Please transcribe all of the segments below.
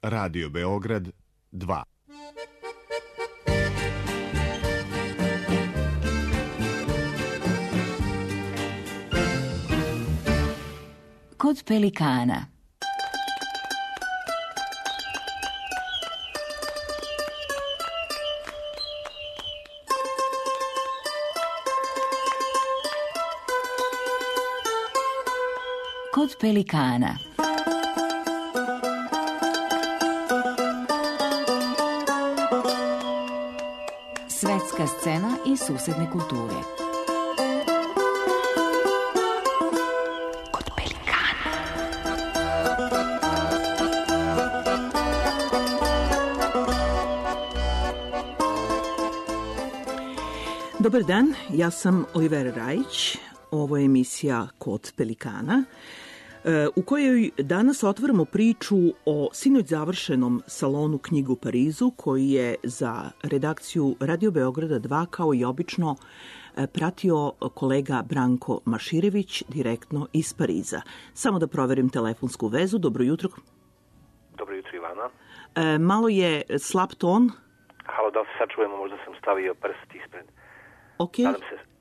Radio Beograd 2. Kod pelikana. Kod pelikana. Svetska scena i susedne kulture. Kod pelikana. Dobar dan, ja sam Olivera Rajić. Ovo je emisija Kod pelikana, u kojoj danas otvaramo priču o sinoć završenom salonu knjige u Parizu, koji je za redakciju Radio Beograda 2, kao i obično, pratio kolega Branko Maširević direktno iz Pariza. Samo da proverim telefonsku vezu. Dobro jutro. Dobro jutro, Ivana. Malo je slab ton. Halo, da li se sad čujemo? Možda sam stavio prst ispred. Ok. Nadam se.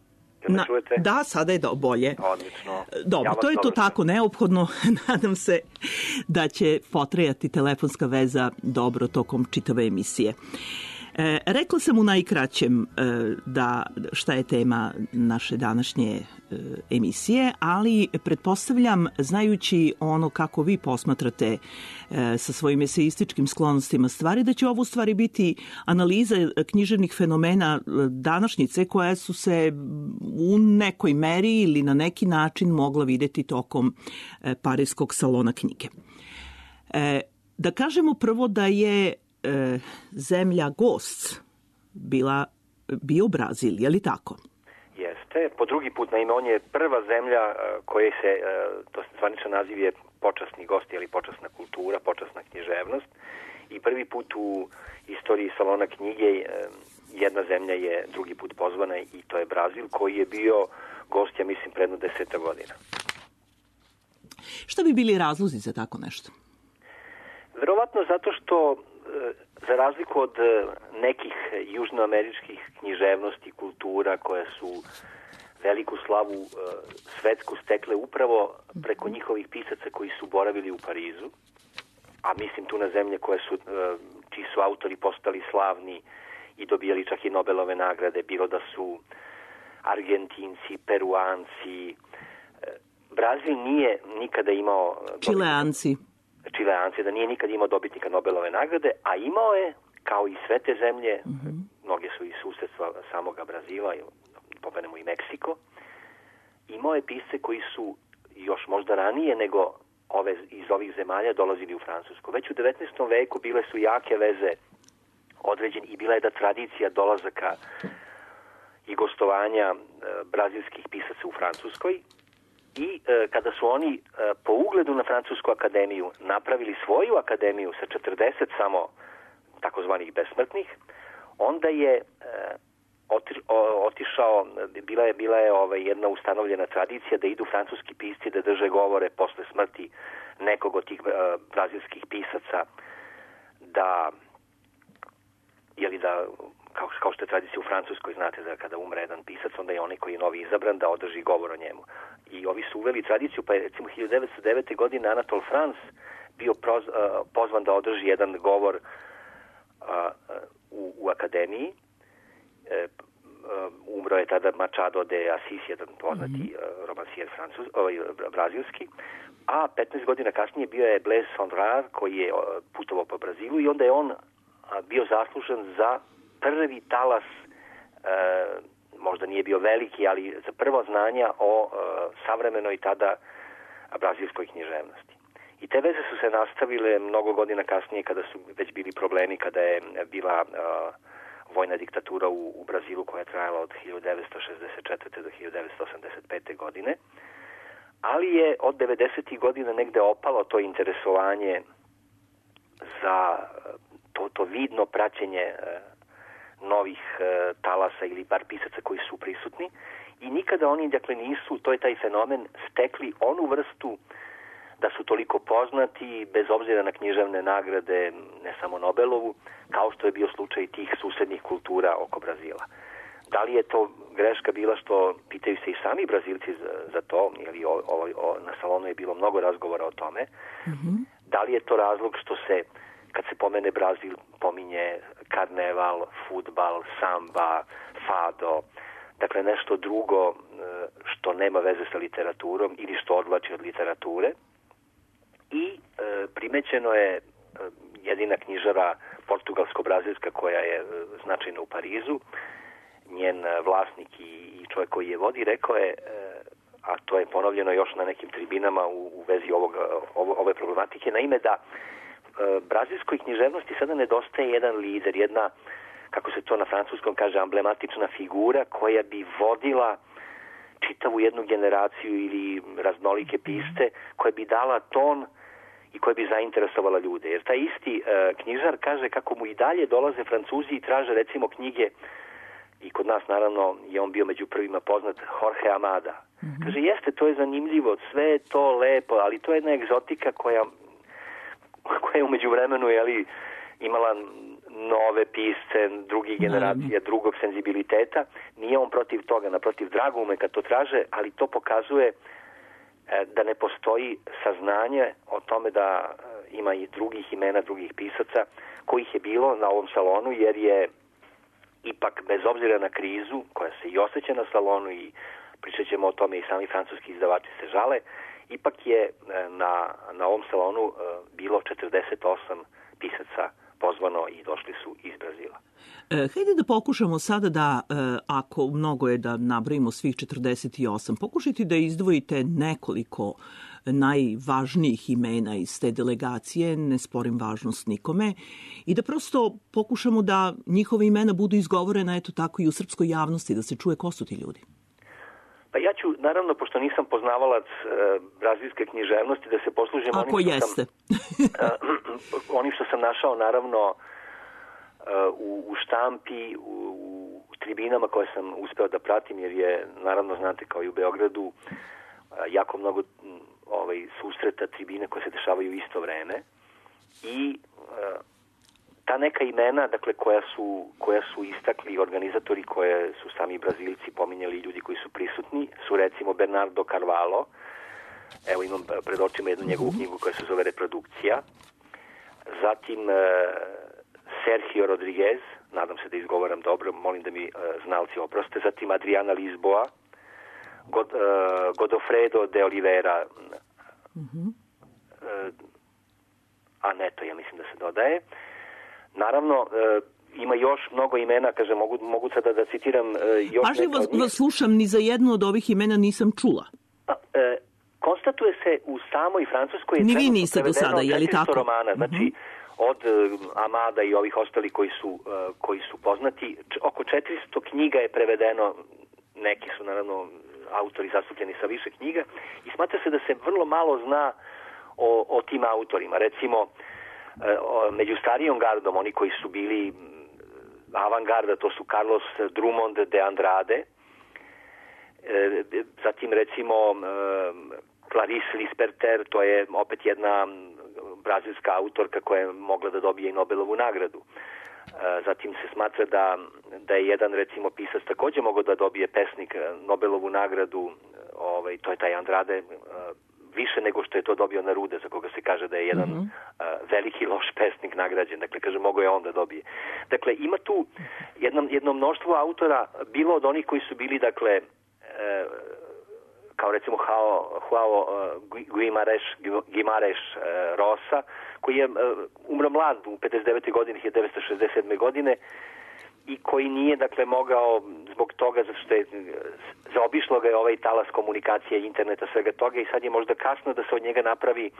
Da, sada je bolje. Odlično. Dobro, to je to tako neophodno. Nadam se da će potrajati telefonska veza dobro tokom čitave emisije. Rekla sam u najkraćem da šta je tema naše današnje emisije, ali pretpostavljam, znajući ono kako vi posmatrate sa svojim eseističkim sklonostima stvari, da će ovo u stvari biti analiza književnih fenomena današnjice koja su se u nekoj meri ili na neki način mogla videti tokom Parijskog salona knjige. Da kažemo prvo da je zemlja gost bio Brazil, je li tako? Jeste. Po drugi put, naime, on je prva zemlja koja se, to zvaničan naziv je počasni gost ili počasna kultura, počasna književnost. I prvi put u istoriji salona knjige jedna zemlja je drugi put pozvana i to je Brazil, koji je bio gost, ja mislim, predno 10 godina. Šta bi bili razlozi za tako nešto? Verovatno zato što za razliku od nekih južnoameričkih književnosti, kultura koje su veliku slavu svetsku stekle upravo preko njihovih pisaca koji su boravili u Parizu, a mislim tu na zemlje čiji su autori postali slavni i dobijali čak i Nobelove nagrade, bilo da su Argentinci, Peruanci. Brazil nije nikada imao... Čileanci, da nije nikad imao dobitnika Nobelove nagrade, a imao je, kao i sve te zemlje, mnoge su i susedstva samoga Brazila, pomenemo i Meksiko, imao je pisce koji su još možda ranije nego iz ovih zemalja dolazili u Francusku. Već u 19. veku bile su jake veze određene i bila je da tradicija dolazaka i gostovanja brazilskih pisaca u Francuskoj. I kada su oni po ugledu na Francusku akademiju napravili svoju akademiju sa 40 samo takozvanih besmrtnih, onda je otišao, bila je jedna ustanovljena tradicija da idu francuski pisci da drže govore posle smrti nekog od tih brazilskih pisaca, da kao što je tradicija u Francuskoj, znate da kada umre jedan pisac, onda je onaj koji je novi izabran da održi govor o njemu. I ovi su uveli tradiciju, pa je recimo 1909. godine Anatol France bio pozvan da održi jedan govor u akademiji. Umro je tada Machado de Assis, jedan poznati romansijer brazilski, a 15 godina kasnije bio je Blaise Cendrars koji je putovao po Brazilu i onda je on bio zaslužen za prvi talas, možda nije bio veliki, ali za prvo znanja o savremenoj tada brazilskoj književnosti. I te veze su se nastavile mnogo godina kasnije kada su već bili problemi, kada je bila vojna diktatura u Brazilu koja je trajala od 1964. do 1985. godine. Ali je od 90. godina negde opalo to interesovanje za to vidno praćenje novih talasa ili bar pisaca koji su prisutni i nikada oni, dakle, nisu, to je taj fenomen, stekli onu vrstu da su toliko poznati, bez obzira na književne nagrade, ne samo Nobelovu, kao što je bio slučaj tih susednih kultura oko Brazila. Da li je to greška bila što pitaju se i sami Brazilci za to, jer na salonu je bilo mnogo razgovora o tome. Mm-hmm. Da li je to razlog što se, kad se pomene Brazil, pominje karneval, fudbal, samba, fado, dakle nešto drugo što nema veze sa literaturom ili što odvlači od literature. I primećeno je jedina knjižara portugalsko-brazilska koja je značajna u Parizu, njen vlasnik i čovjek koji je vodi, rekao je, a to je ponovljeno još na nekim tribinama u vezi ove problematike, naime da brazilskoj književnosti sada nedostaje jedan lider, jedna, kako se to na francuskom kaže, emblematična figura koja bi vodila čitavu jednu generaciju ili raznolike piste, koja bi dala ton i koja bi zainteresovala ljude. Jer taj isti knjižar kaže kako mu i dalje dolaze Francuzi i traže recimo knjige, i kod nas naravno je on bio među prvima poznat, Jorge Amada. Mm-hmm. Kaže, jeste, to je zanimljivo, sve je to lepo, ali to je jedna egzotika koja je umeđu vremenu imala nove pisce, drugih generacija, drugog senzibiliteta. Nije on protiv toga, naprotiv, drago mu je kad to traže, ali to pokazuje da ne postoji saznanje o tome da ima i drugih imena, drugih pisaca, kojih je bilo na ovom salonu, jer je ipak, bez obzira na krizu, koja se i osjeća na salonu i pričat ćemo o tome i sami francuski izdavači se žale, ipak je na ovom salonu bilo 48 pisaca pozvano i došli su iz Brazila. Hajde da pokušamo sada da, ako mnogo je da nabrojimo svih 48, pokušajte da izdvojite nekoliko najvažnijih imena iz te delegacije, ne sporim važnost nikome, i da prosto pokušamo da njihove imena budu izgovorena eto tako i u srpskoj javnosti, da se čuje ko su ti ljudi. Pa ja ću, naravno, pošto nisam poznavalac brazilske književnosti, da se poslužim onim što sam našao, naravno, u štampi, u tribinama koje sam uspeo da pratim, jer je, naravno, znate, kao i u Beogradu, jako mnogo susreta, tribine koje se dešavaju u isto vreme. I ta neka imena, dakle, koja su istakli organizatori, koje su sami Brazilci pominjali, ljudi koji su prisutni, su recimo Bernardo Carvalho. Evo imam pred očima jednu njegovu knjigu koja se zove Reprodukcija. Zatim Sergio Rodriguez, nadam se da izgovaram dobro, molim da mi znalci oproste. Zatim Adriana Lisboa, Godofredo de Oliveira, Aneto, ja mislim da se dodaje. Naravno, ima još mnogo imena, kaže, mogu sada da citiram još Pažljivo vas slušam, ni za jedno od ovih imena nisam čula. Konstatuje se u samoj Francuskoj je ni vi niste do sada, je li tako? Romana, znači od Amada i ovih ostali koji su poznati, oko 400 knjiga je prevedeno, neki su naravno autori zastupljeni sa više knjiga i smatra se da se vrlo malo zna o tim autorima. Recimo, među starijom gardom, oni koji su bili avangarda, to su Carlos Drummond de Andrade, zatim recimo Clarice Lispector, to je opet jedna brazilska autorka koja je mogla da dobije i Nobelovu nagradu. Zatim se smatra da je jedan recimo pisac također mogao da dobije, pesnik, Nobelovu nagradu, to je taj Andrade, više nego što je to dobio Neruda, za koga se kaže da je jedan veliki loš pesnik nagrađen. Dakle, kaže, mogao je on da dobije. Dakle, ima tu jedno mnoštvo autora, bilo od onih koji su bili, dakle, kao recimo Joao Guimarães Rosa, koji je umro mlad u 59. godini, 1967. godine, i koji nije, dakle, mogao zbog toga, zato što je zaobišlo ga je ovaj talas komunikacije, interneta, svega toga, i sad je možda kasno da se od njega napravi,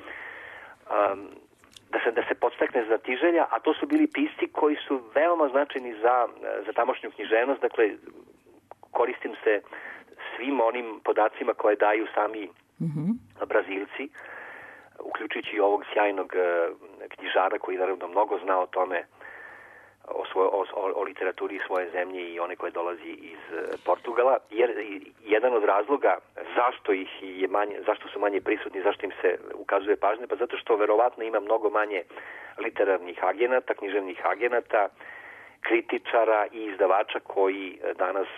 da se podstakne znatiželja, a to su bili pisci koji su veoma značajni za tamošnju književnost. Dakle, koristim se svim onim podacima koje daju sami Brazilci, uključujući ovog sjajnog knjižara koji naravno mnogo zna o tome, o literaturi svoje zemlje i one koje dolazi iz Portugala, jer jedan od razloga zašto su manje prisutni, zašto im se ukazuje pažnja, pa zato što verovatno ima mnogo manje literarnih agenata, književnih agenata, kritičara i izdavača koji danas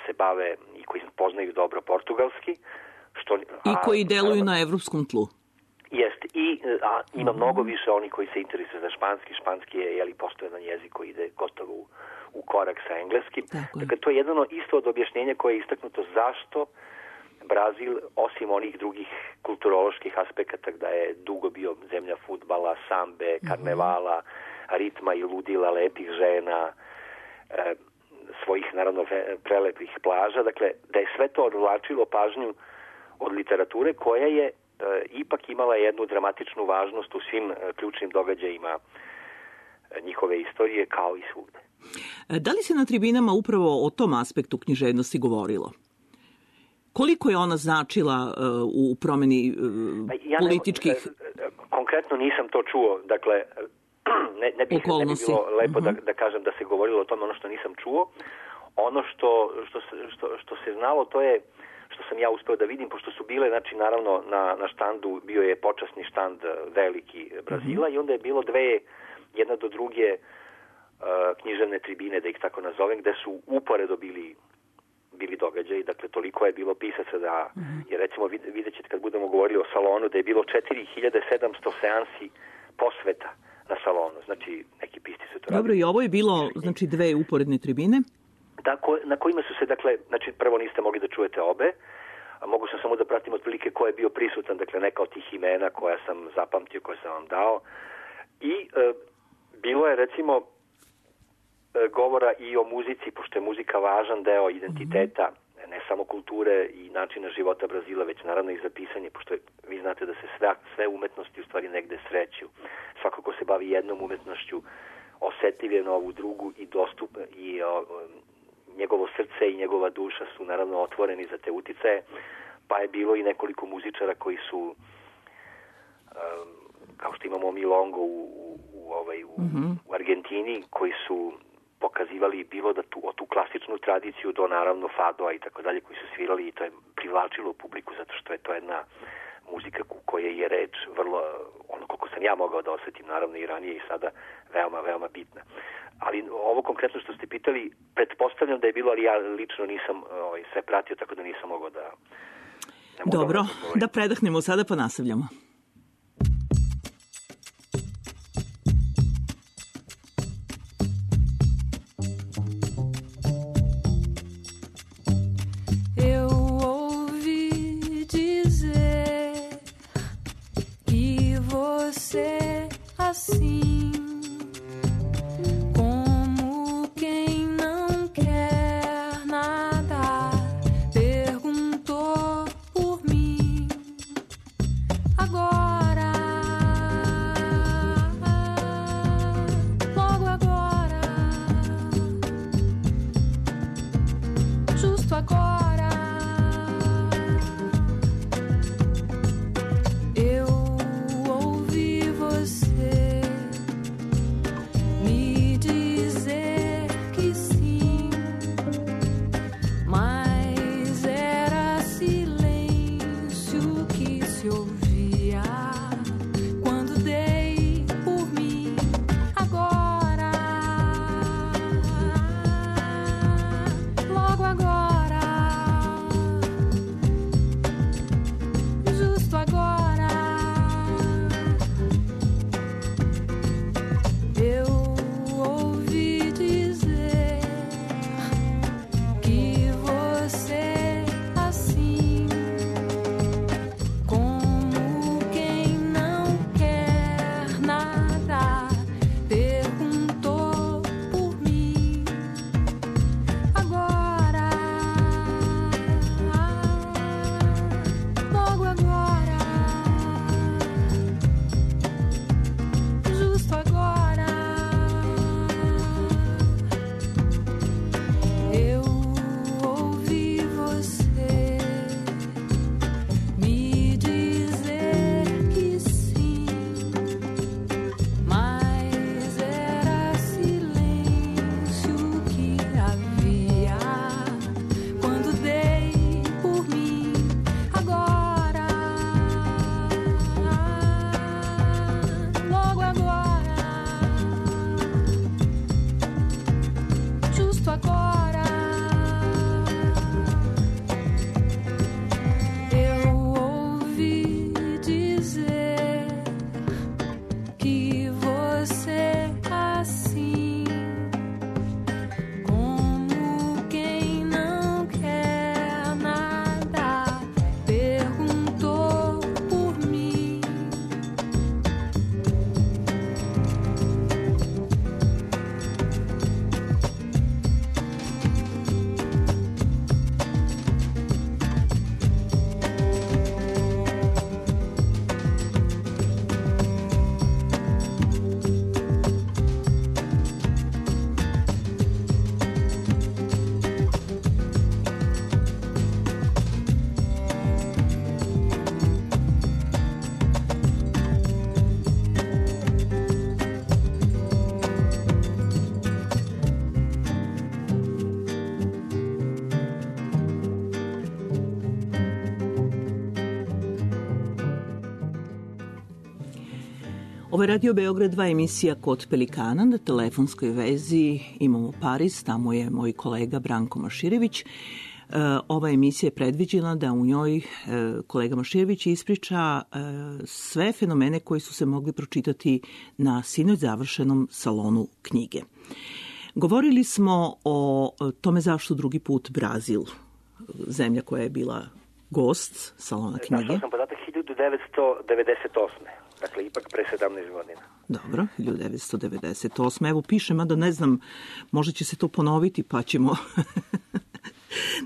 se bave i koji poznaju dobro portugalski. I koji deluju na evropskom tlu. Jeste, ima mnogo više oni koji se interesuju za španski. Španski je postojan jezik koji ide gotovo u korak sa engleskim. Dakle, to je jedno isto od objašnjenja koje je istaknuto zašto Brazil, osim onih drugih kulturoloških aspekata, da je dugo bio zemlja fudbala, sambe, karnevala, ritma i ludila, lepih žena, svojih, naravno, prelepih plaža. Dakle, da je sve to odvlačilo pažnju od literature koja je ipak imala jednu dramatičnu važnost u svim ključnim događajima njihove istorije, kao i svugde. Da li se na tribinama upravo o tom aspektu književnosti govorilo? Koliko je ona značila u promeni političkih... Konkretno nisam to čuo, dakle, ne bi bilo lepo da kažem da se govorilo o tome, ono što nisam čuo. Ono što se znalo, to je što sam ja uspeo da vidim, pošto su bile, znači, naravno, na štandu bio je počasni štand veliki Brazila i onda je bilo jedna do druge književne tribine, da ih tako nazovem, gde su uporedo bili događaji, dakle, toliko je bilo pisaca da, jer recimo vidjet ćete kad budemo govorili o salonu, da je bilo 4700 seansi posveta na salonu, znači neki pisci su to radili. Dobro, i ovo je bilo, znači, 2 uporedne tribine? Na kojima su se, dakle, znači, prvo niste mogli da čujete obe, a mogu sam samo da pratim otprilike ko je bio prisutan, dakle, neka od tih imena koja sam zapamtio, koje sam vam dao. I bilo je, recimo, govora i o muzici, pošto je muzika važan deo identiteta, ne samo kulture i načina života Brazila, već naravno i za pisanje, pošto vi znate da se sve umetnosti u stvari negde sreću. Svako ko se bavi jednom umetnošću osetljiv je na ovu drugu i dostupno i njegovo srce i njegova duša su naravno otvoreni za te uticaje, pa je bilo i nekoliko muzičara koji su, kao što imamo Milongo u Argentini, koji su pokazivali bilo da tu klasičnu tradiciju do naravno fadoa i tako dalje, koji su svirali i to je privlačilo publiku zato što je to jedna muzika koja je reč vrlo, ono koliko sam ja mogao da osetim, naravno i ranije i sada, veoma, veoma bitna. Ali ovo konkretno što ste pitali, pretpostavljam da je bilo, ali ja lično nisam sve pratio, tako da nisam mogao da... Dobro, da predahnemo sada pa nastavljamo. Assim, como quem não quer nada, perguntou por mim. Agora Ovo je Radio Beograd 2 emisija Kod Pelikana. Na telefonskoj vezi imamo Pariz, tamo je moj kolega Branko Maširević. Ova emisija je predviđena da u njoj kolega Maširević ispriča sve fenomene koji su se mogli pročitati na sinoć završenom salonu knjige. Govorili smo o tome zašto drugi put Brazil, zemlja koja je bila gost salona knjige. Našao sam podatak 1998. Dakle, ipak pre 17 godina. Dobro, 1998. Evo piše, mada ne znam, možda će se to ponoviti, pa ćemo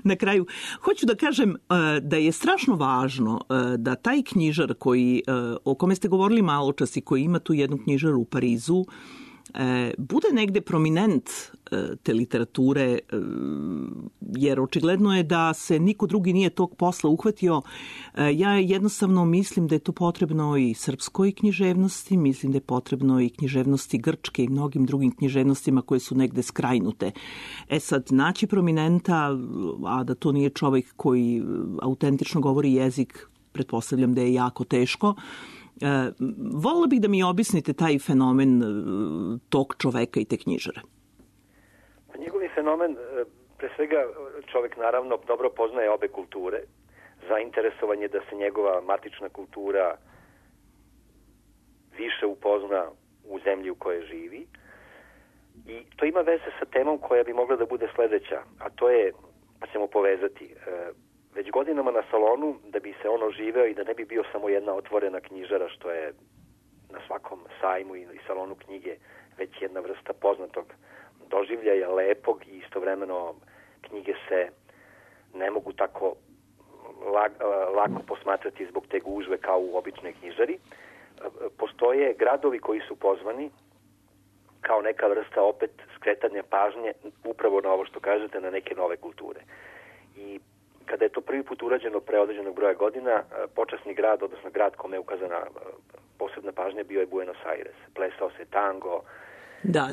na kraju. Hoću da kažem da je strašno važno da taj knjižar o kome ste govorili malo čas i koji ima tu jednu knjižaru u Parizu, bude negde prominent te literature, jer očigledno je da se niko drugi nije tog posla uhvatio. Ja jednostavno mislim da je to potrebno i srpskoj književnosti, mislim da je potrebno i književnosti grčke i mnogim drugim književnostima koje su negde skrajnute. Sad, naći prominenta, a da to nije čovjek koji autentično govori jezik, pretpostavljam da je jako teško. Volila bih da mi objasnite taj fenomen tog čoveka i te knjižare. Njegovi fenomen, pre svega čovek naravno dobro poznaje obe kulture, zainteresovan je da se njegova matična kultura više upozna u zemlji u kojoj živi i to ima veze sa temom koja bi mogla da bude sledeća, a to je, pa ćemo povezati, već godinama na salonu, da bi se on oživeo i da ne bi bio samo jedna otvorena knjižara, što je na svakom sajmu i salonu knjige već jedna vrsta poznatog doživljaja, lepog i istovremeno knjige se ne mogu tako lako posmatrati zbog te gužve kao u običnoj knjižari. Postoje gradovi koji su pozvani kao neka vrsta opet skretanja pažnje upravo na ovo što kažete, na neke nove kulture. I kada je to prvi put urađeno pre određenog broja godina, počasni grad, odnosno grad kome je ukazana posebna pažnja, bio je Buenos Aires. Plesao se tango. Da.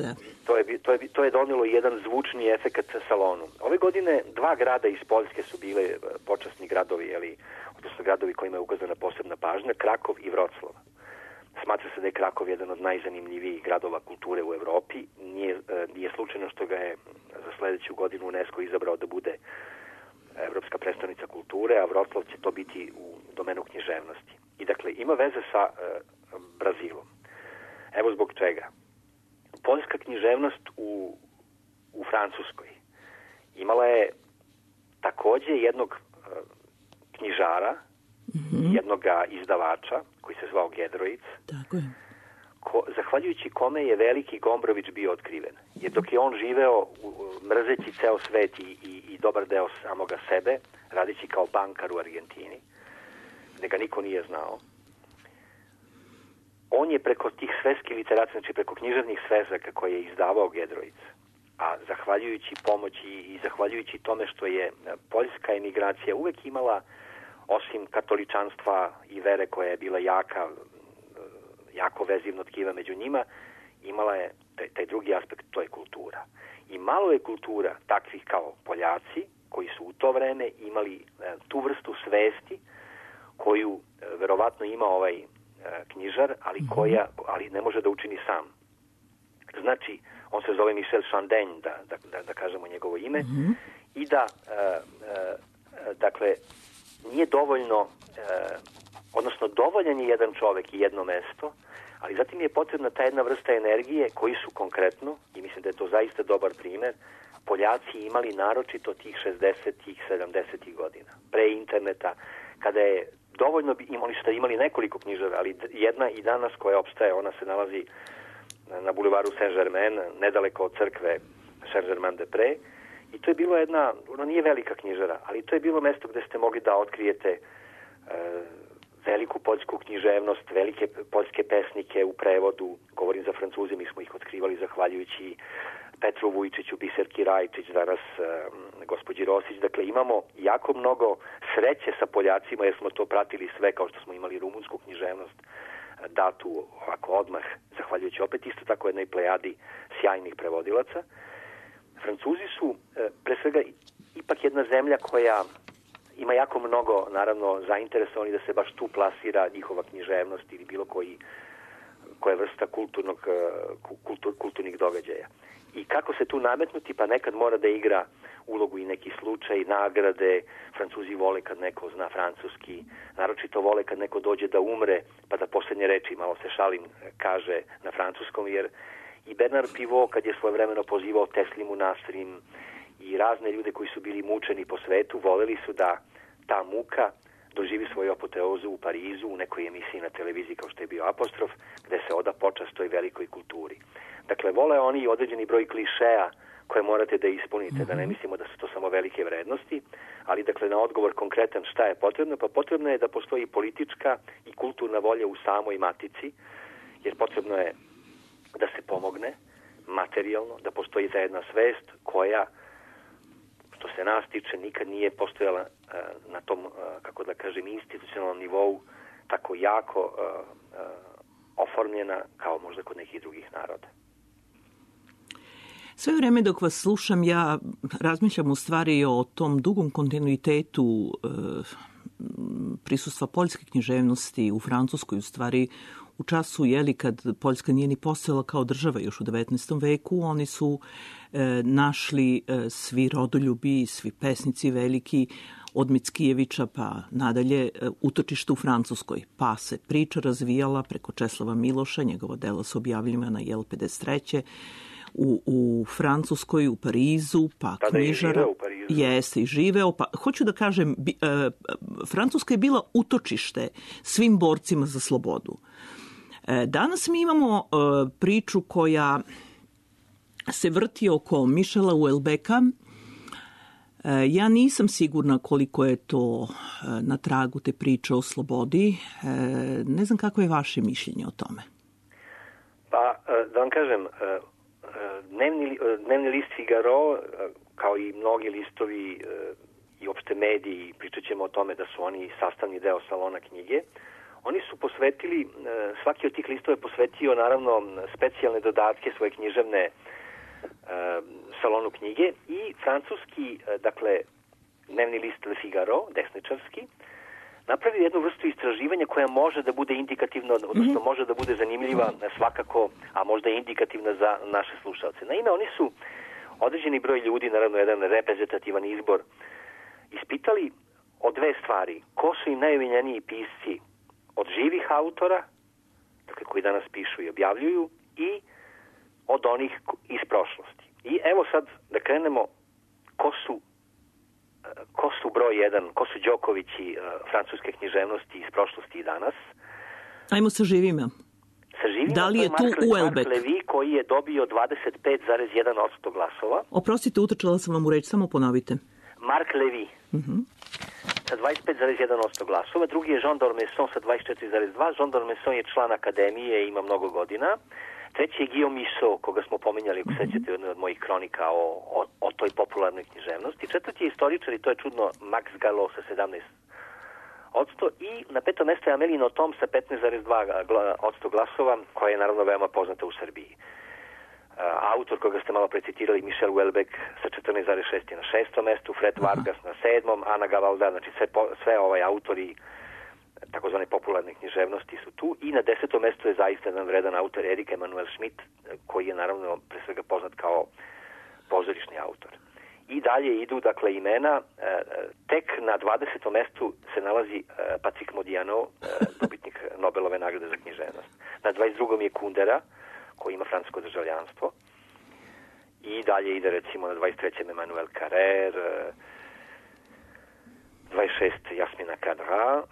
To je donelo jedan zvučni efekat salonu. Ove godine 2 grada iz Poljske su bile počasni gradovi, odnosno gradovi kojima je ukazana posebna pažnja, Krakov i Vroclav. Smatra se da je Krakov jedan od najzanimljivijih gradova kulture u Evropi. Nije slučajno što ga je za sledeću godinu UNESCO izabrao da bude Evropska prestonica kulture, a Vroclav će to biti u domenu književnosti. I dakle, ima veze sa Brazilom. Evo zbog čega. Poljska književnost u Francuskoj imala je takođe jednog knjižara, jednog izdavača, koji se zvao Gedroic, tako je. Zahvaljujući kome je veliki Gombrović bio otkriven. Jer dok je on živeo mrzeći ceo svet i dobar deo samoga sebe, radići kao bankar u Argentini, gde ga niko nije znao, on je preko tih svetskih literacija, znači preko književnih svezaka koje je izdavao Gedroic, a zahvaljujući pomoći i zahvaljujući tome što je poljska emigracija uvek imala, osim katoličanstva i vere koja je bila jako vezivno tkiva među njima, imala je taj drugi aspekt, to je kultura. I malo je kultura takvih kao Poljaci, koji su u to vreme imali tu vrstu svesti koju verovatno ima ovaj knjižar, ali ne može da učini sam. Znači, on se zove Michel Chandin, da kažemo njegovo ime, i da, dakle, nije dovoljno, odnosno dovoljan je jedan čovek i jedno mesto, ali zatim je potrebna ta jedna vrsta energije koji su konkretno, i mislim da je to zaista dobar primer, Poljaci imali naročito tih 60-ih, 70-ih godina, pre interneta, kada je dovoljno, oni su imali nekoliko knjižara, ali jedna i danas koja opstaje, ona se nalazi na bulevaru Saint-Germain, nedaleko od crkve Saint-Germain-des-Prés, i to je bilo jedna, ona nije velika knjižara, ali to je bilo mesto gde ste mogli da otkrijete veliku poljsku književnost, velike poljske pesnike u prevodu, govorim za Francuze, mi smo ih otkrivali zahvaljujući Petru Vujčiću, Biserki Rajčić, danas gospođi Rosić. Dakle, imamo jako mnogo sreće sa Poljacima jer smo to pratili sve, kao što smo imali rumunsku književnost datu ovako odmah, zahvaljujući opet isto tako jednoj plejadi sjajnih prevodilaca. Francuzi su pre svega ipak jedna zemlja koja ima jako mnogo, naravno, zainteresovani da se baš tu plasira njihova književnost ili bilo koji koja je vrsta kulturnih događaja. I kako se tu nametnuti, pa nekad mora da igra ulogu i neki slučaj, nagrade. Francuzi vole kad neko zna francuski, naročito vole kad neko dođe da umre, pa da posljednje reči, malo se šalim, kaže na francuskom, jer i Bernard Pivot, kad je svojevremeno pozivao Teslimu Nasrim i razne ljude koji su bili mučeni po svetu, voljeli su da ta muka doživi svoju apoteozu u Parizu, u nekoj emisiji na televiziji kao što je bio Apostrof, gde se oda počast toj velikoj kulturi. Dakle, vole oni određeni broj klišeja koje morate da ispunite, da ne mislimo da su to samo velike vrednosti, ali dakle na odgovor konkretan šta je potrebno, pa potrebno je da postoji politička i kulturna volja u samoj matici, jer potrebno je da se pomogne materijalno, da postoji ta jedna svest koja, što se nas tiče, nikad nije postojala na tom, kako da kažem, institucionalnom nivou tako jako oformljena kao možda kod nekih drugih naroda. Sve vreme dok vas slušam, ja razmišljam u stvari o tom dugom kontinuitetu prisustva poljske književnosti u Francuskoj, u stvari u času, kad Poljska nije ni postojala kao država još u 19. veku, oni su našli svi rodoljubi, svi pesnici veliki, od Mickijevića pa nadalje, utočište u Francuskoj. Pa se priča razvijala preko Česlava Miloša, njegova dela su objavljivana 53. U Francuskoj, u Parizu, pa tada knjižara. Je u Parizu. Jeste i živeo. Pa, hoću da kažem, Francuska je bila utočište svim borcima za slobodu. Danas mi imamo priču koja se vrti oko Michela Houellebecqa. Ja nisam sigurna koliko je to na tragu te priče o slobodi. Ne znam kako je vaše mišljenje o tome. Pa, da vam kažem, dnevni list Figaro, kao i mnogi listovi i opšte mediji, pričat ćemo o tome da su oni sastavni deo salona knjige, oni su posvetili, svaki od tih listova je posvetio naravno specijalne dodatke svoje književne salonu knjige i francuski, dakle, dnevni list Le Figaro, desničarski, napravio jednu vrstu istraživanja koja može da bude indikativna, odnosno može da bude zanimljiva svakako, a možda i indikativna za naše slušalce. Naime, oni su određeni broj ljudi, naravno jedan reprezentativan izbor, ispitali o dve stvari. Ko su im najomiljeniji pisci od živih autora, dakle koji danas pišu i objavljuju, i od onih iz prošlosti. I evo sad da krenemo ko su broj jedan, ko su Đokovići francuske književnosti iz prošlosti i danas. Ajmo sa živima. Sa živima, da li je tu Houellebecq? Mark Levy koji je dobio 25,1% glasova. Oprostite, utrčala sam vam u reč, samo ponovite. Mark Levy sa 25,1% glasova. Drugi je Jean d'Ormesson sa 24,2%. Jean d'Ormesson je član akademije i ima mnogo godina. Treći je Guillaume Musso, koga smo pominjali, ako sećate, jednu od mojih kronika o toj popularnoj književnosti. Četvrti je istoričar, i to je čudno, Max Gallo sa 17%. I na petom mjestu je Amélie Nothomb sa 15,2% glasova, koja je naravno veoma poznata u Srbiji. Autor koga ste malo precitirali, Michel Houellebecq sa 14,6 na 6. mjestu, Fred Vargas na 7. Ana Gavalda, znači sve autori takozvane popularne književnosti su tu, i na 10. mjestu je zaista jedan vredan autor Erik Emanuel Schmidt, koji je naravno pre svega poznat kao pozorišni autor. I dalje idu, dakle, imena. Tek na 20. mjestu se nalazi Patrick Modiano, dobitnik Nobelove nagrade za književnost. Na 22. je Kundera, koji ima francusko državljanstvo. I dalje ide, recimo, na 23. Emmanuel Carrère, 26. Jasmina Kadra,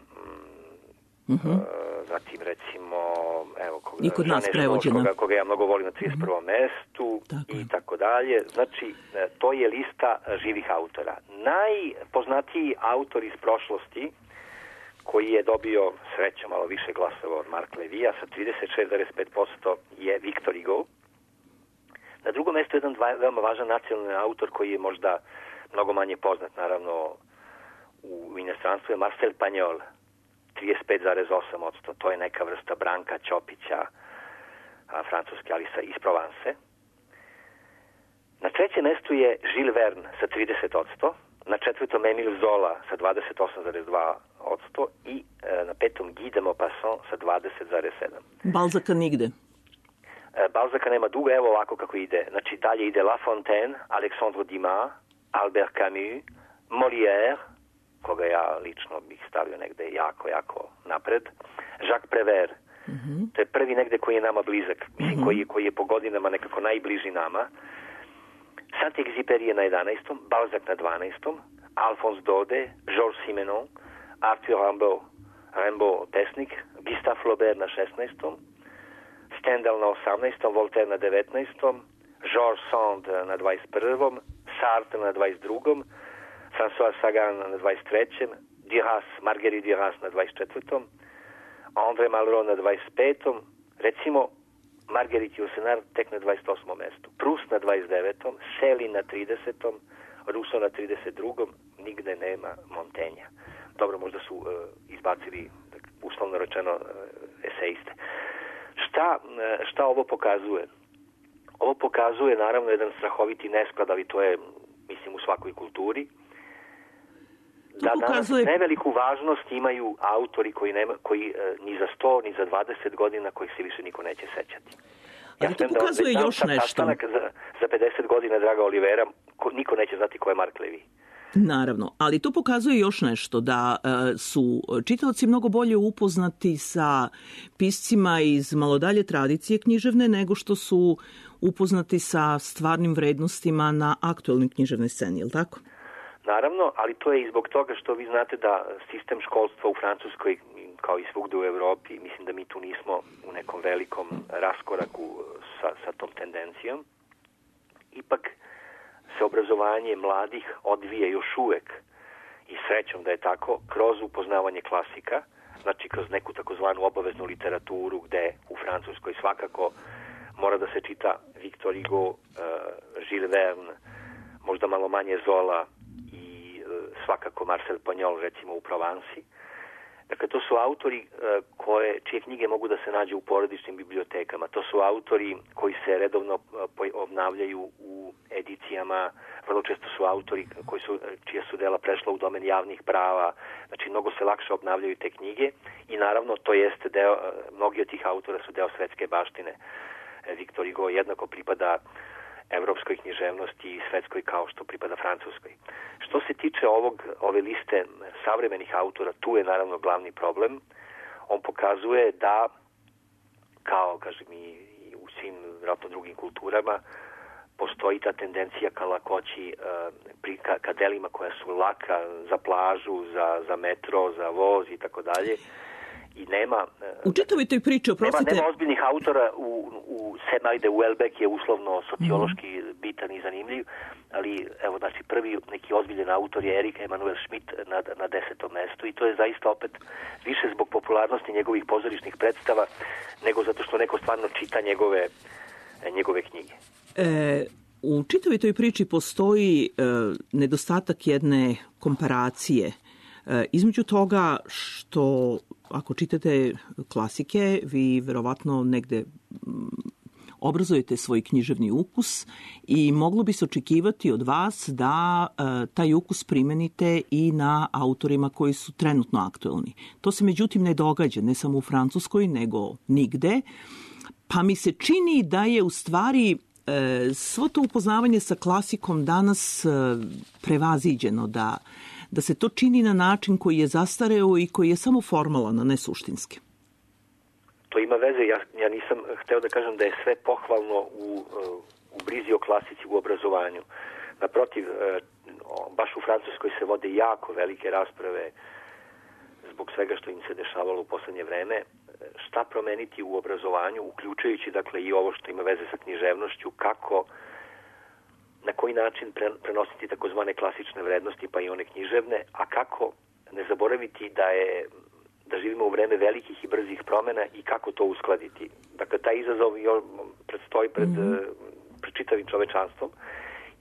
zatim, recimo, evo, koga ja mnogo volim na 31. mestu i tako dalje. Znači, to je lista živih autora. Najpoznatiji autor iz prošlosti, koji je dobio srećom malo više glasova od Mark Levija sa 36,5%, je Victor Hugo. Na drugom mjestu je jedan veoma važan nacionalni autor koji je možda mnogo manje poznat, naravno, u inostranstvu, je Marcel Pagnol, 35,8%. To je neka vrsta Branka Ćopića, francuske, ali iz Provence. Na trećem mjestu je Jules Verne sa 30%. na četvrtom Emile Zola sa 28,2% i na petom Guy de Maupassant sa 20,7%. Balzaka nigde. Balzaka nema dugo, evo ovako kako ide. Znači dalje ide La Fontaine, Alexandre Dumas, Albert Camus, Molière, koga ja lično bih stavio negde jako napred, Jacques Prévert. To je prvi negde koji je nama blizak, mislim koji je po godinama nekako najbliži nama. Saint-Exupéry je na 11. Balzac na 12. Alphonse Daudet, Georges Simenon, Arthur Rimbaud pesnik, Gustave Flaubert na 16. Stendhal na 18. Voltaire na 19. Georges Sand na 21. Sartre na 22. François Sagan na 23. Marguerite Duras na 24. André Malraux na 25. Recimo Marguerite Yourcenar tek na 28. mestu. Proust na 29. Shelley na 30. Rousseau na 32. Nigde nema Montaigna. Dobro, možda su izbacili, uslovno rečeno, eseiste. Šta ovo pokazuje? Ovo pokazuje naravno jedan strahoviti nesklad, ali to je, mislim, u svakoj kulturi. Da danas neveliku važnost imaju autori koji ni za 100, ni za 20 godina kojih se više niko neće sećati. Ali to pokazuje još nešto. Za 50 godina Draga Olivera, niko neće znati ko je Mark Levy. Naravno, ali to pokazuje još nešto, da su čitaoci mnogo bolje upoznati sa piscima iz malo dalje tradicije književne nego što su upoznati sa stvarnim vrednostima na aktuelnoj književnoj sceni, je li tako? Naravno, ali to je i zbog toga što vi znate da sistem školstva u Francuskoj, kao i svugde u Evropi, mislim da mi tu nismo u nekom velikom raskoraku sa tom tendencijom. Ipak se obrazovanje mladih odvija još uvek, i srećom da je tako, kroz upoznavanje klasika, znači kroz neku takozvanu obaveznu literaturu, gde u Francuskoj svakako mora da se čita Victor Hugo, Jules Verne, možda malo manje Zola i svakako Marcel Pagnol, recimo u Provansi. Dakle, to su autori čije knjige mogu da se nađe u porodičnim bibliotekama. To su autori koji se redovno obnavljaju u edicijama. Vrlo često su autori čija su dela prešla u domen javnih prava. Znači, mnogo se lakše obnavljaju te knjige i naravno to jeste deo, mnogi od tih autora su deo svetske baštine. Victor Hugo jednako pripada evropskoj književnosti i svetskoj kao što pripada francuskoj. Što se tiče ove liste savremenih autora, tu je naravno glavni problem. On pokazuje da, kao kažem i u svim vjerojatno drugim kulturama, postoji ta tendencija ka lakoći, ka delima koja su laka za plažu, za metro, za voz i tako dalje. I nema... U čitavoj toj priči, oprostite... Nema ozbiljnih autora Ajde, Houellebecq je uslovno sociološki bitan i zanimljiv, ali evo, znači, prvi neki ozbiljen autor je Erik Emanuel Schmidt na 10. mestu i to je zaista opet više zbog popularnosti njegovih pozorišnih predstava nego zato što neko stvarno čita njegove knjige. U čitavoj toj priči postoji nedostatak jedne komparacije između toga što, ako čitate klasike, vi verovatno negde obrazujete svoj književni ukus i moglo bi se očekivati od vas da taj ukus primenite i na autorima koji su trenutno aktuelni. To se međutim ne događa, ne samo u Francuskoj, nego nigde. Pa mi se čini da je u stvari svo to upoznavanje sa klasikom danas prevaziđeno, da se to čini na način koji je zastareo i koji je samo formalan, a ne suštinski. To ima veze, ja nisam hteo da kažem da je sve pohvalno u brizi o klasici u obrazovanju. Naprotiv, baš u Francuskoj se vode jako velike rasprave zbog svega što im se dešavalo u poslednje vreme. Šta promeniti u obrazovanju, uključujući dakle i ovo što ima veze sa književnošću, kako, na koji način prenositi takozvane klasične vrednosti pa i one književne, a kako ne zaboraviti da živimo u vreme velikih i brzih promena i kako to uskladiti. Dakle, taj izazov predstoji pred čitavim čovečanstvom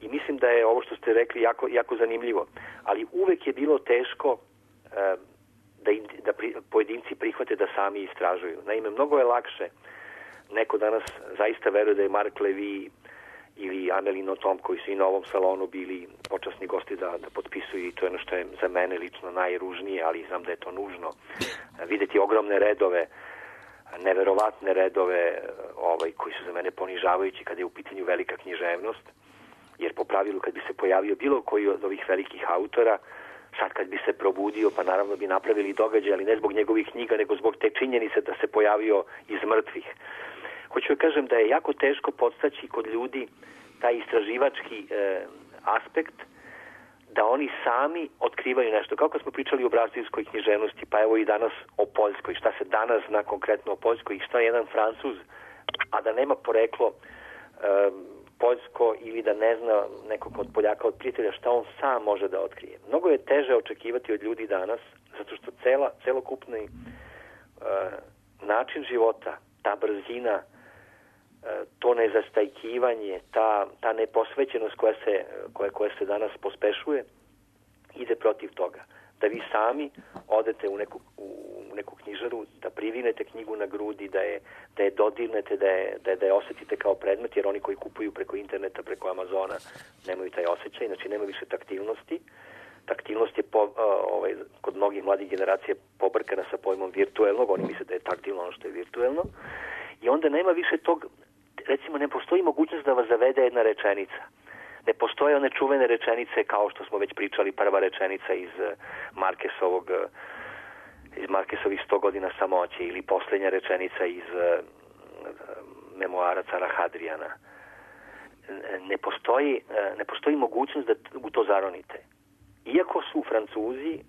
i mislim da je ovo što ste rekli jako zanimljivo. Ali uvek je bilo teško da pojedinci prihvate da sami istražuju. Naime, mnogo je lakše. Neko danas zaista veruje da je Mark Levy ili Amélie Nothomb, koji su i na ovom salonu bili počasni gosti da potpisuju, i to je ono što je za mene lično najružnije, ali znam da je to nužno. Videti ogromne redove, neverovatne redove koji su za mene ponižavajući kada je u pitanju velika književnost, jer po pravilu kad bi se pojavio bilo koji od ovih velikih autora, sad kad bi se probudio, pa naravno bi napravili događaj, ali ne zbog njegovih knjiga, nego zbog te činjenice da se pojavio iz mrtvih. Hoću da kažem da je jako teško podstaći kod ljudi taj istraživački aspekt, da oni sami otkrivaju nešto. Kako smo pričali o brazilskoj književnosti, pa evo i danas o Poljskoj. Šta se danas zna konkretno o Poljskoj i šta jedan Francuz, a da nema poreklo poljsko ili da ne zna nekog od Poljaka, od prijatelja, šta on sam može da otkrije. Mnogo je teže očekivati od ljudi danas, zato što celokupni način života, ta brzina, to nezastajkivanje, ta neposvećenost koja se danas pospešuje, ide protiv toga. Da vi sami odete u neku knjižaru, da privinete knjigu na grudi, da je dodirnete, da je osjetite kao predmet, jer oni koji kupuju preko interneta, preko Amazona, nemaju taj osjećaj, znači nema više taktilnosti. Taktilnost je kod mnogih mladih generacija pobrkana sa pojmom virtuelnog, oni misle da je taktilno ono što je virtuelno, i onda nema više tog, recimo ne postoji mogućnost da vas zavede jedna rečenica. Ne postoje one čuvene rečenice kao što smo već pričali, prva rečenica iz Markesovih 100 godina samoće, ili posljednja rečenica iz memoara cara Hadrijana. Ne postoji mogućnost da u to zaronite. Iako su Francuzi,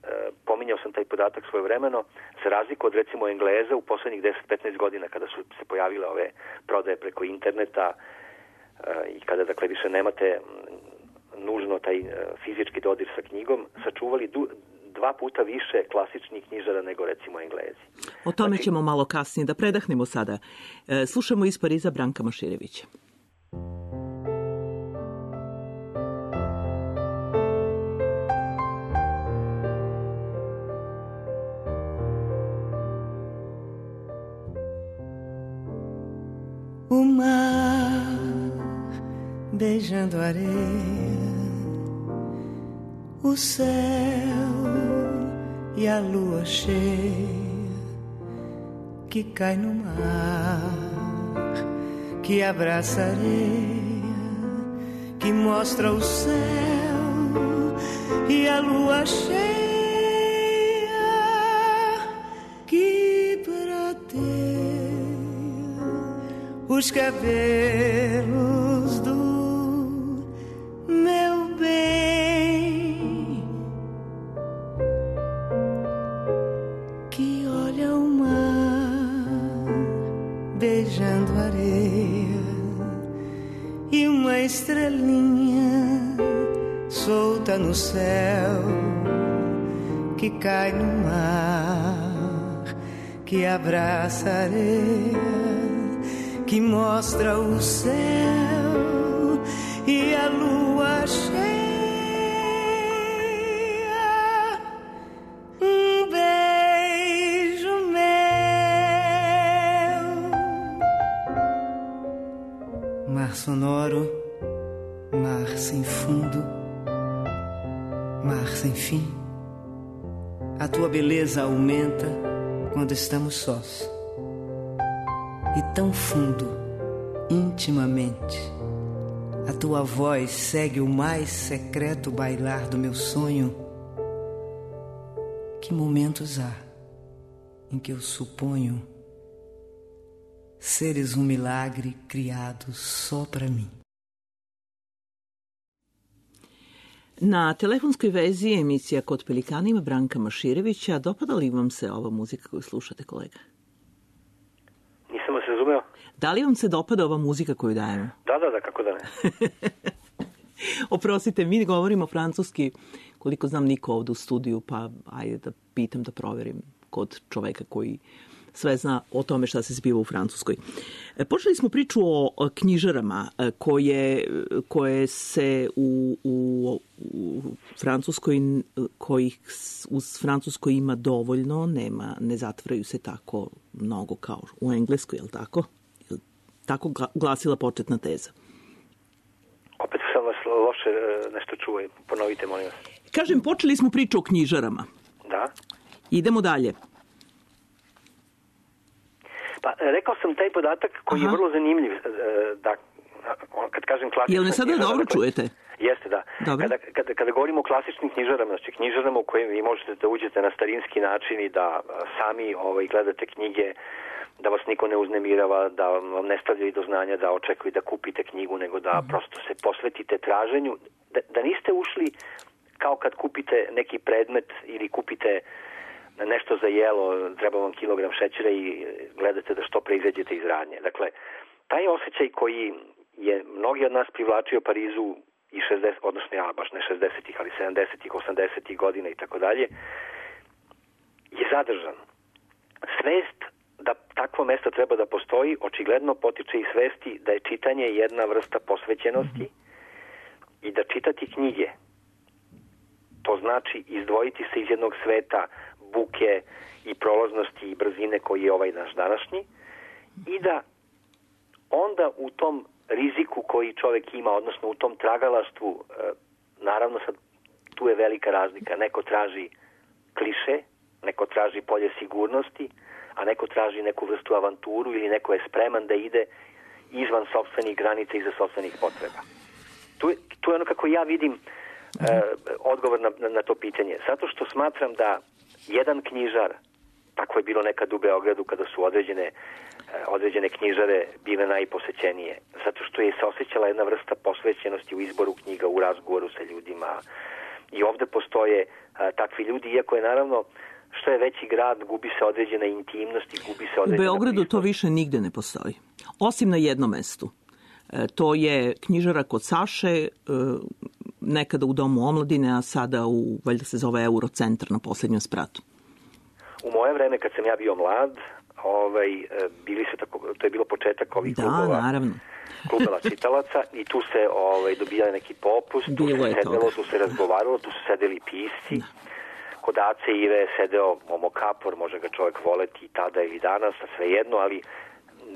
pominjao sam taj podatak svojevremeno, za razliku od recimo Engleza u poslednjih 10-15 godina kada su se pojavile ove prodaje preko interneta i kada dakle više nemate nužno taj fizički dodir sa knjigom, sačuvali 2 puta više klasičnih knjižara nego recimo Englezi. O tome ćemo malo kasnije, da predahnemo sada. Slušamo iz Pariza Branka Maširevića. O mar beijando a areia, o céu e a lua cheia que cai no mar, que abraça a areia, que mostra o céu e a lua cheia que prateia os cabelos do meu bem, que olha o mar beijando a areia e uma estrelinha solta no céu que cai no mar, que abraça a areia, que mostra o céu e a lua cheia. Um beijo meu. Mar sonoro, mar sem fundo, mar sem fim. A tua beleza aumenta quando estamos sós. E tão fundo, intimamente, a tua voz segue o mais secreto bailar do meu sonho. Que momentos há em que eu suponho seres um milagre criado só para mim. Na telefonskoj vezi emisija Kod pelikana ima Branka Maširevića. Dopada li vam se ova muzika koju slušate, kolega? Nisam vas razumeo. Da li vam se dopada ova muzika koju dajemo? Da, kako da ne. Oprostite, mi govorimo francuski, koliko znam niko ovdje u studiju, pa ajde da pitam, da proverim kod čoveka koji sve zna o tome šta se zbiva u Francuskoj. Počeli smo priču o knjižarama koje se u Francuskoj, kojih u Francuskoj ima dovoljno, ne zatvaraju se tako mnogo kao u Engleskoj, je li tako? Tako glasila početna teza. sam vas loše nešto čuo. Ponovite, molim vas. Kažem, počeli smo priču o knjižarama. Da? Idemo dalje. Pa, rekao sam taj podatak koji je vrlo zanimljiv. Da, kad kažem klasična Jel me sada knjižara, dobro čujete? Jeste, da. Kada govorimo o klasičnim knjižarama, znači knjižarama u kojim vi možete da uđete na starinski način i da sami gledate knjige, da vas niko ne uznemirava, da vam ne stavljaju do znanja da očekuju da kupite knjigu, nego da prosto se posvetite traženju, da niste ušli kao kad kupite neki predmet ili kupite nešto za jelo, treba vam kilogram šećera i gledate da što pre izađete iz radnje. Dakle, taj osjećaj koji je mnogi od nas privlačio Parizu i 60, odnosno baš ne 60-ih, ali 70-ih, 80-ih godina i tako dalje, je zadržan. Svest da takvo mesto treba da postoji, očigledno potiče i svesti da je čitanje jedna vrsta posvećenosti i da čitati knjige, to znači izdvojiti se iz jednog sveta buke i prolaznosti i brzine koji je ovaj naš današnji i da onda u tom riziku koji čovjek ima, odnosno u tom tragalaštvu, naravno sad tu je velika razlika. Neko traži kliše, neko traži polje sigurnosti, a neko traži neku vrstu avanturu ili neko je spreman da ide izvan sopstvenih granica i za sopstvenih potreba. Tu je ono kako ja vidim odgovor na to pitanje. Zato što smatram da jedan knjižar, tako je bilo nekad u Beogradu kada su određene knjižare bile najposećenije, zato što je se osjećala jedna vrsta posvećenosti u izboru knjiga, u razgovoru sa ljudima. I ovde postoje takvi ljudi, iako je naravno što je veći grad, gubi se određena intimnost i gubi se određena... U Beogradu to više nigde ne postoji. Osim na jednom mestu. To je knjižara kod Saše, nekada u Domu omladine, a sada valjda se zove Eurocentar na poslednjom spratu. U moje vreme, kad sam ja bio mlad, bili su to je bilo početak ovih klubova čitalaca i tu se dobijali neki popust, tu se sedelo, tu se razgovaralo, tu su sedeli pisci. Kod Ace Ive sedeo Momo Kapor, može ga čovjek voleti i tada ili danas, a svejedno, ali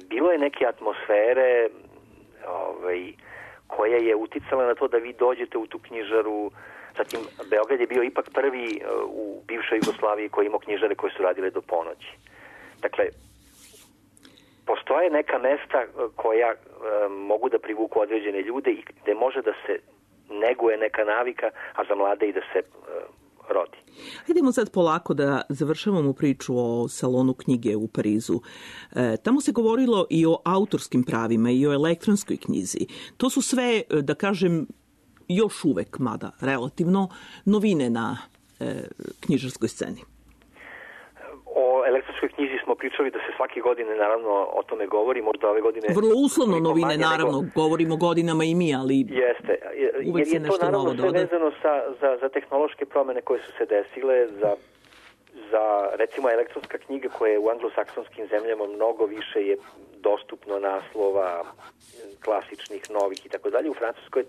bilo je neke atmosfere koja je uticala na to da vi dođete u tu knjižaru. Zatim, Beograd je bio ipak prvi u bivšoj Jugoslaviji koji imao knjižare koje su radile do ponoći. Dakle, postoje neka mesta koja mogu da privuku određene ljude i gde može da se neguje neka navika, a za mlade i da se rodi. Idemo sad polako da završavamo priču o salonu knjige u Parizu. Tamo se govorilo i o autorskim pravima i o elektronskoj knjizi. To su sve, da kažem, još uvek, mada relativno, novine na knjižarskoj sceni. O elektronskoj knjizi smo pričali da se svake godine naravno o tome govori, možda ove godine... Vrlo uslovno novine, naravno, govorimo godinama i mi, ali jeste, uvek se nešto novo doda. Jer je to naravno sve vezano za tehnološke promene koje su se desile, za recimo elektronska knjiga koja je u anglosaksonskim zemljama mnogo više je dostupno naslova klasičnih, novih i tako dalje. U Francuskoj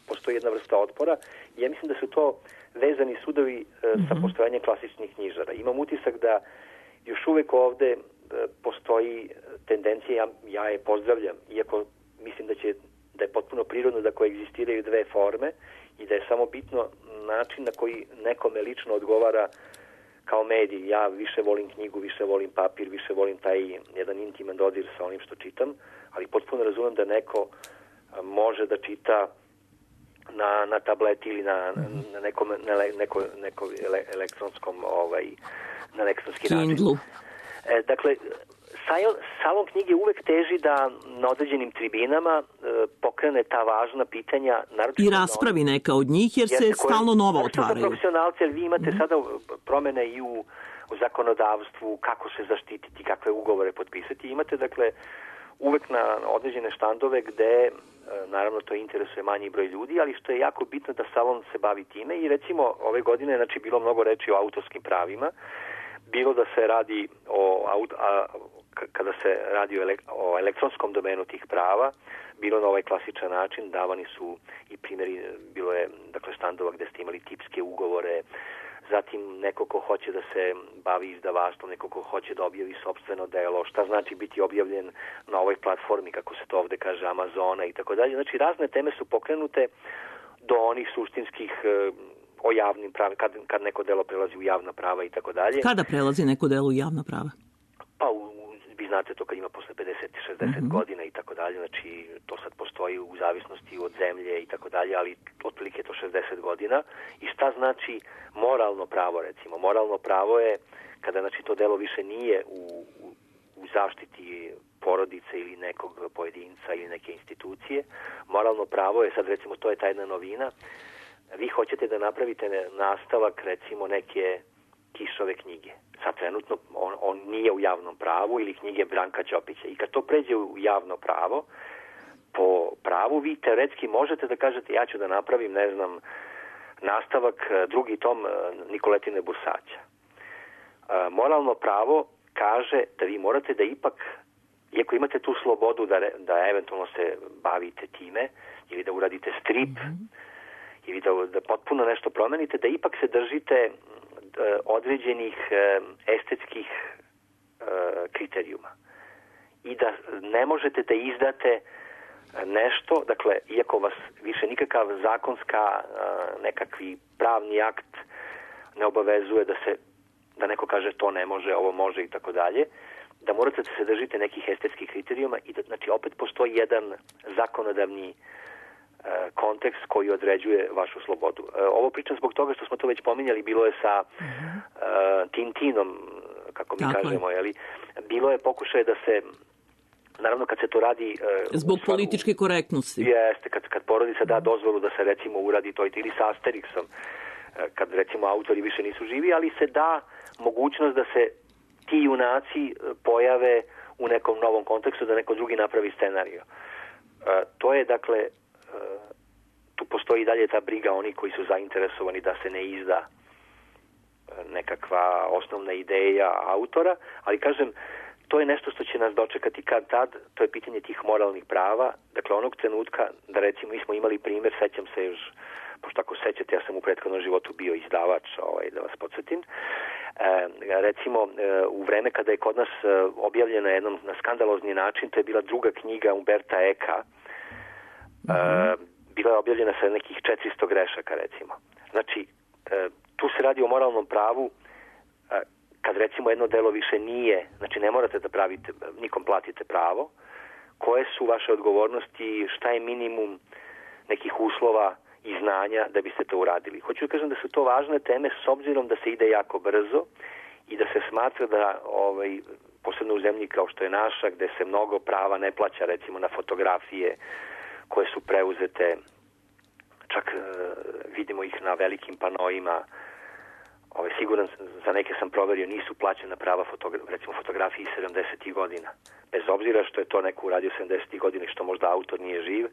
postoji jedna vrsta otpora i ja mislim da su to vezani sudovi sa postojanjem klasičnih knjižara. Imam utisak da još uvek ovde postoji tendencija, ja je pozdravljam, iako mislim da je potpuno prirodno da koegzistiraju dve forme i da je samo bitno način na koji nekome lično odgovara kao medij. Ja više volim knjigu, više volim papir, više volim taj jedan intiman dodir sa onim što čitam, ali potpuno razumem da neko može da čita na tableti ili na nekom elektronskom na elektronski način. Dakle, salon knjige uvek teži da na određenim tribinama pokrene ta važna pitanja. I raspravi neka od njih, jer se stalno nova otvaraju. Profesionalci, jer vi imate sada promene i u zakonodavstvu, kako se zaštititi, kakve ugovore potpisati. Imate, dakle, uvek na određene štandove gde naravno to interesuje manji broj ljudi, ali što je jako bitno da salon se bavi time i recimo ove godine bilo mnogo reči o autorskim pravima, bilo da se radi kada se radi o elektronskom domenu tih prava, bilo na ovaj klasičan način, davani su i primjeri, bilo je dakle štandova gde ste imali tipske ugovore zatim neko ko hoće da se bavi izdavaštvom, neko ko hoće da objavi sopstveno delo, šta znači biti objavljen na ovoj platformi, kako se to ovde kaže, Amazona i tako dalje. Znači, razne teme su pokrenute do onih suštinskih o javnim pravima, kad neko delo prelazi u javna prava i tako dalje. Kada prelazi neko delo u javna prava? Pa, vi znate to kad ima posle 50-60 godina i tako dalje, znači to sad postoji u zavisnosti od zemlje i tako dalje, ali otprilike to 60 godina. I šta znači moralno pravo, recimo? Moralno pravo je kada, znači, to delo više nije u zaštiti porodice ili nekog pojedinca ili neke institucije. Moralno pravo je, sad recimo, to je ta jedna novina, vi hoćete da napravite nastavak, recimo, neke Kišove knjige. Sad trenutno on nije u javnom pravu, ili knjige Branka Ćopića. I kad to pređe u javno pravo, po pravu vi teoretski možete da kažete ja ću da napravim, ne znam, nastavak, drugi tom Nikoletine Bursaća. Moralno pravo kaže da vi morate da ipak, iako imate tu slobodu da eventualno se bavite time, ili da uradite strip, ili da potpuno nešto promenite, da ipak se držite određenih estetskih kriterijuma. I da ne možete da izdate nešto, dakle, iako vas više nikakav zakonska, nekakvi pravni akt ne obavezuje da neko kaže to ne može, ovo može i tako dalje, da morate da se držite nekih estetskih kriterijuma i da, znači, opet postoji jedan zakonodavni kontekst koji određuje vašu slobodu. Ovo pričam zbog toga što smo to već pominjali, bilo je sa Tintinom, kako mi kažemo, jeli? Bilo je pokušaj da se, naravno kad se to radi zbog političke korektnosti. Jeste, kad porodica da dozvolu da se recimo uradi to ili sa Asterixom, kad recimo autori više nisu živi, ali se da mogućnost da se ti junaci pojave u nekom novom kontekstu, da neko drugi napravi scenariju. To je, dakle, tu postoji dalje ta briga oni koji su zainteresovani da se ne izda nekakva osnovna ideja autora, ali kažem, to je nešto što će nas dočekati kad tad, to je pitanje tih moralnih prava, dakle onog trenutka da recimo mi smo imali primjer, sećam se još, pošto ako sećate, ja sam u prethodnom životu bio izdavač, da vas podsjetim, recimo u vreme kada je kod nas objavljena jednom na skandalozni način, to je bila druga knjiga Umberta Eka, bila je objavljena sa nekih 400 grešaka, recimo. Znači, tu se radi o moralnom pravu, kad recimo jedno delo više nije, znači ne morate da pravite, nikom platite pravo, koje su vaše odgovornosti, šta je minimum nekih uslova i znanja da biste to uradili. Hoću da kažem da su to važne teme s obzirom da se ide jako brzo i da se smatra da, posebno u zemlji kao što je naša, gde se mnogo prava ne plaća, recimo na fotografije koje su preuzete, čak vidimo ih na velikim panoima, siguran za neke sam proverio, nisu plaćena prava recimo fotografiji 70. godina. Bez obzira što je to neko uradio 70. godina i što možda autor nije živ,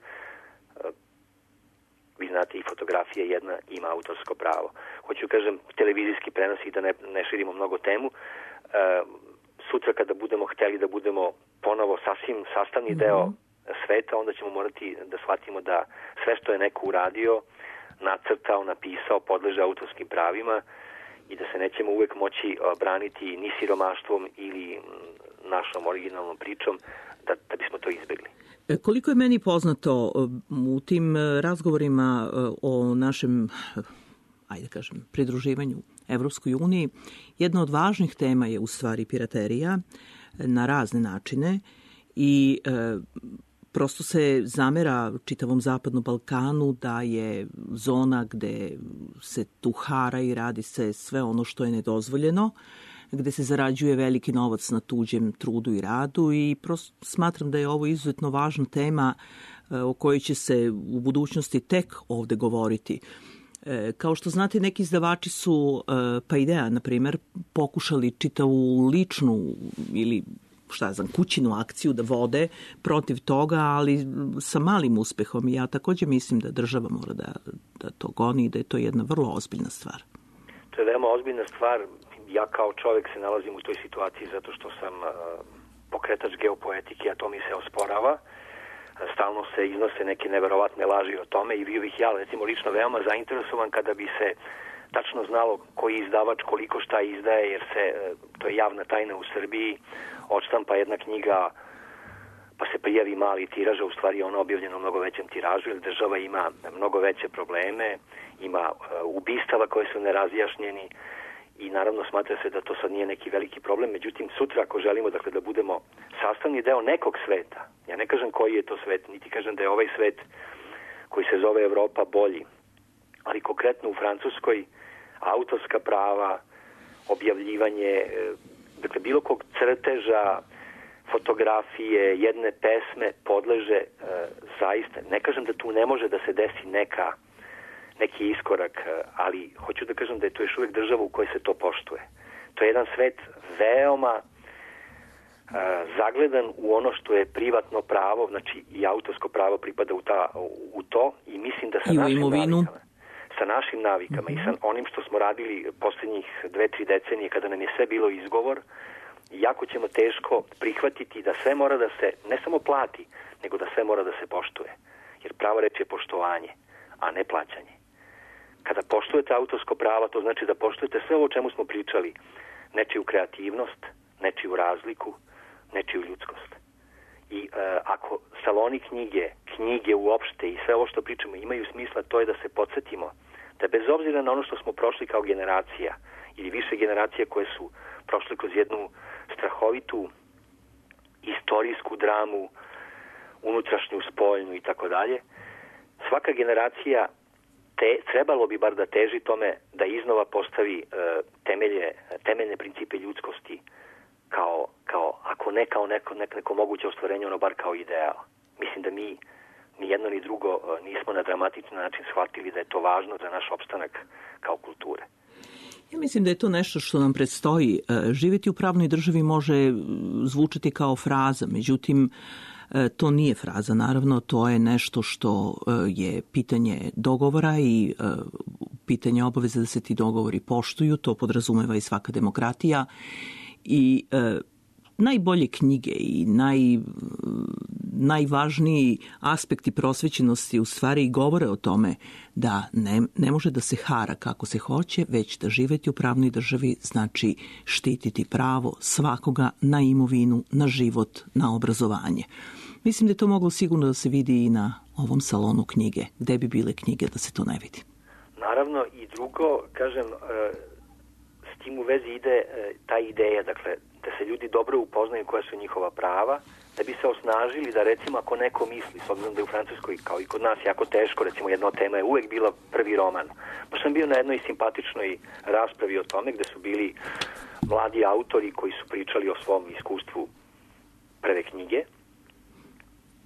vi znate, i fotografija jedna ima autorsko pravo. Hoću kažem, televizijski prenos i da ne širimo mnogo temu, sutra kada budemo hteli da budemo ponovo sasvim sastavni deo sveta, onda ćemo morati da shvatimo da sve što je neko uradio, nacrtao, napisao, podleže autorskim pravima i da se nećemo uvek moći braniti ni siromaštvom ili našom originalnom pričom da bismo to izbjegli. Koliko je meni poznato u tim razgovorima o našem, pridruživanju Evropskoj uniji, jedna od važnih tema je u stvari piraterija na razne načine i prosto se zamera čitavom Zapadnom Balkanu da je zona gde se tuhara i radi se sve ono što je nedozvoljeno, gde se zarađuje veliki novac na tuđem trudu i radu i prosto smatram da je ovo izuzetno važna tema o kojoj će se u budućnosti tek ovde govoriti. Kao što znate, neki izdavači su, pa Idea, na primjer, pokušali čitavu ličnu ili kućinu akciju da vode protiv toga, ali sa malim uspehom. I ja također mislim da država mora da to goni i da je to jedna vrlo ozbiljna stvar. To je veoma ozbiljna stvar. Ja kao čovjek se nalazim u toj situaciji zato što sam pokretač geopoetike, a to mi se osporava. Stalno se iznose neke neverovatne laži o tome i bio bih ja, recimo, lično veoma zainteresovan kada bi se tačno znalo koji izdavač koliko šta izdaje, jer to je javna tajna u Srbiji, odštampa jedna knjiga pa se prijavi mali tiraž, a u stvari je ona objavljena u mnogo većem tiražu, jer država ima mnogo veće probleme, ima ubistava koje su nerazjašnjeni i naravno smatra se da to sad nije neki veliki problem. Međutim, sutra ako želimo dakle, da budemo sastavni deo nekog sveta, ja ne kažem koji je to svet, niti kažem da je ovaj svet koji se zove Evropa bolji, ali konkretno u Francuskoj autorska prava, objavljivanje, dakle bilo kog crteža, fotografije, jedne pesme podleže zaista. Ne kažem da tu ne može da se desi neki iskorak, ali hoću da kažem da je to još uvijek država u kojoj se to poštuje. To je jedan svet veoma zagledan u ono što je privatno pravo, znači i autorsko pravo pripada u to i mislim da sa našim navikama i sa onim što smo radili posljednjih 2-3 decenije kada nam je sve bilo izgovor, jako ćemo teško prihvatiti da sve mora da se ne samo plati, nego da sve mora da se poštuje. Jer pravo reč je poštovanje, a ne plaćanje. Kada poštujete autorsko pravo, to znači da poštujete sve ovo o čemu smo pričali. Nečiju kreativnost, nečiju razliku, nečiju ljudskost. I ako saloni knjige uopšte i sve ovo što pričamo imaju smisla, to je da se podsjetimo da bez obzira na ono što smo prošli kao generacija ili više generacija koje su prošli kroz jednu strahovitu istorijsku dramu, unutrašnju, spoljnu i tako dalje, svaka generacija trebalo bi bar da teži tome da iznova postavi temeljne principe ljudskosti kao ako ne kao neko moguće ostvarenje, ono bar kao ideal. Mislim da mi ni jedno ni drugo nismo na dramatičan način shvatili da je to važno za naš opstanak kao kulture. Ja mislim da je to nešto što nam predstoji. Živjeti u pravnoj državi može zvučati kao fraza, međutim, to nije fraza, naravno, to je nešto što je pitanje dogovora i pitanje obaveze da se ti dogovori poštuju, to podrazumeva i svaka demokratija i najbolje knjige i najvažniji aspekti prosvećenosti u stvari govore o tome da ne može da se hara kako se hoće, već da živjeti u pravnoj državi znači štititi pravo svakoga na imovinu, na život, na obrazovanje. Mislim da je to moglo sigurno da se vidi i na ovom salonu knjige. Gde bi bile knjige da se to ne vidi? Naravno i drugo, kažem, s tim u vezi ide ta ideja, dakle, da se ljudi dobro upoznaju koja su njihova prava, da bi se osnažili da recimo ako neko misli, s obzirom da je u Francuskoj kao i kod nas jako teško, recimo jedna od tema je uvek bila prvi roman. Pa sam bio na jednoj simpatičnoj raspravi o tome gde su bili mladi autori koji su pričali o svom iskustvu prve knjige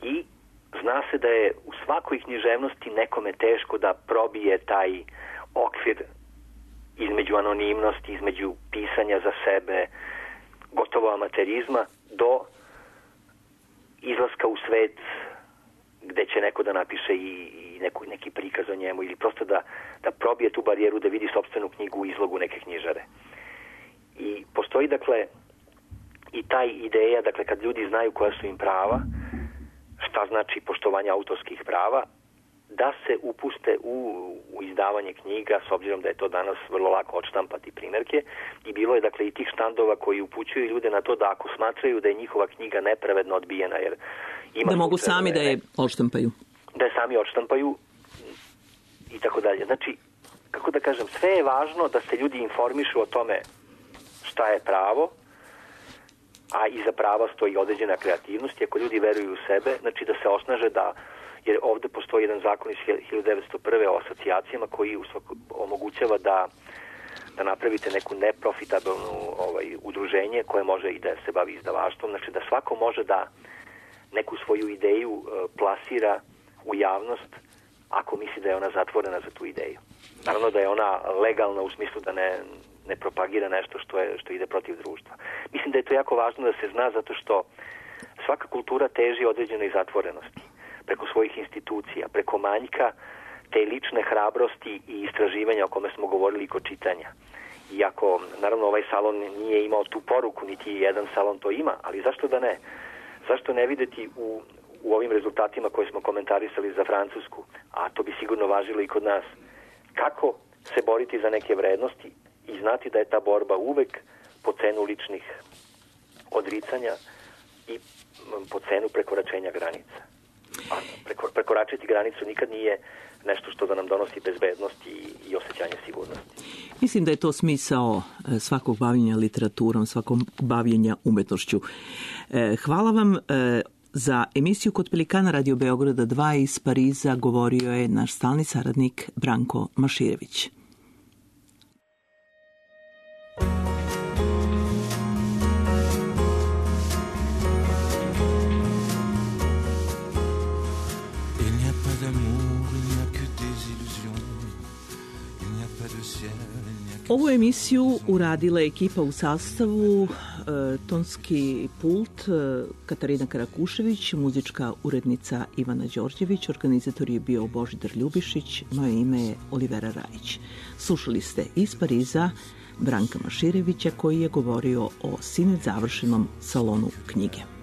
i zna se da je u svakoj književnosti nekome teško da probije taj okvir između anonimnosti, između pisanja za sebe, gotovo amaterizma, do izlaska u svet gde će neko da napiše i neki prikaz o njemu ili prosto da probije tu barijeru, da vidi sopstvenu knjigu u izlogu neke knjižare. I postoji, dakle, i taj ideja, dakle, kad ljudi znaju koja su im prava, šta znači poštovanje autorskih prava, da se upuste u izdavanje knjiga, s obzirom da je to danas vrlo lako odštampati primjerke. I bilo je, dakle, i tih štandova koji upućuju ljude na to da ako smatraju da je njihova knjiga nepravedno odbijena, jer ima... Da mogu sami da je odštampaju. Da je sami odštampaju i tako dalje. Znači, kako da kažem, sve je važno da se ljudi informišu o tome šta je pravo, a iza prava stoji određena kreativnost i ako ljudi veruju u sebe, znači da se osnaže da, jer ovde postoji jedan zakon iz 1901. o asocijacijama koji omogućava da napravite neku neprofitabilnu udruženje koje može i da se bavi izdavaštvom, znači da svako može da neku svoju ideju plasira u javnost ako misli da je ona zatvorena za tu ideju. Naravno da je ona legalna u smislu da ne propagira nešto što ide protiv društva. Mislim da je to jako važno da se zna zato što svaka kultura teži određenoj zatvorenosti preko svojih institucija, preko manjka te lične hrabrosti i istraživanja o kome smo govorili kod čitanja. Iako, naravno, ovaj salon nije imao tu poruku, niti jedan salon to ima, ali zašto da ne? Zašto ne videti u ovim rezultatima koje smo komentarisali za Francusku, a to bi sigurno važilo i kod nas, kako se boriti za neke vrednosti i znati da je ta borba uvek po cenu ličnih odricanja i po cenu prekoračenja granica. A prekoračiti granicu nikad nije nešto što da nam donosi bezbednost i osjećanje sigurnosti. Mislim da je to smisao svakog bavljenja literaturom, svakog bavljenja umetnošću. Hvala vam. Za emisiju Kod Pelikana Radio Beograda 2 iz Pariza govorio je naš stalni saradnik Branko Maširević. Ovu emisiju uradila je ekipa u sastavu, tonski pult Katarina Karakušević, muzička urednica Ivana Đorđević, organizator je bio Božidar Ljubišić, moje ime je Olivera Rajić. Slušali ste iz Pariza Branka Maširevića koji je govorio o sinoć završenom salonu knjige.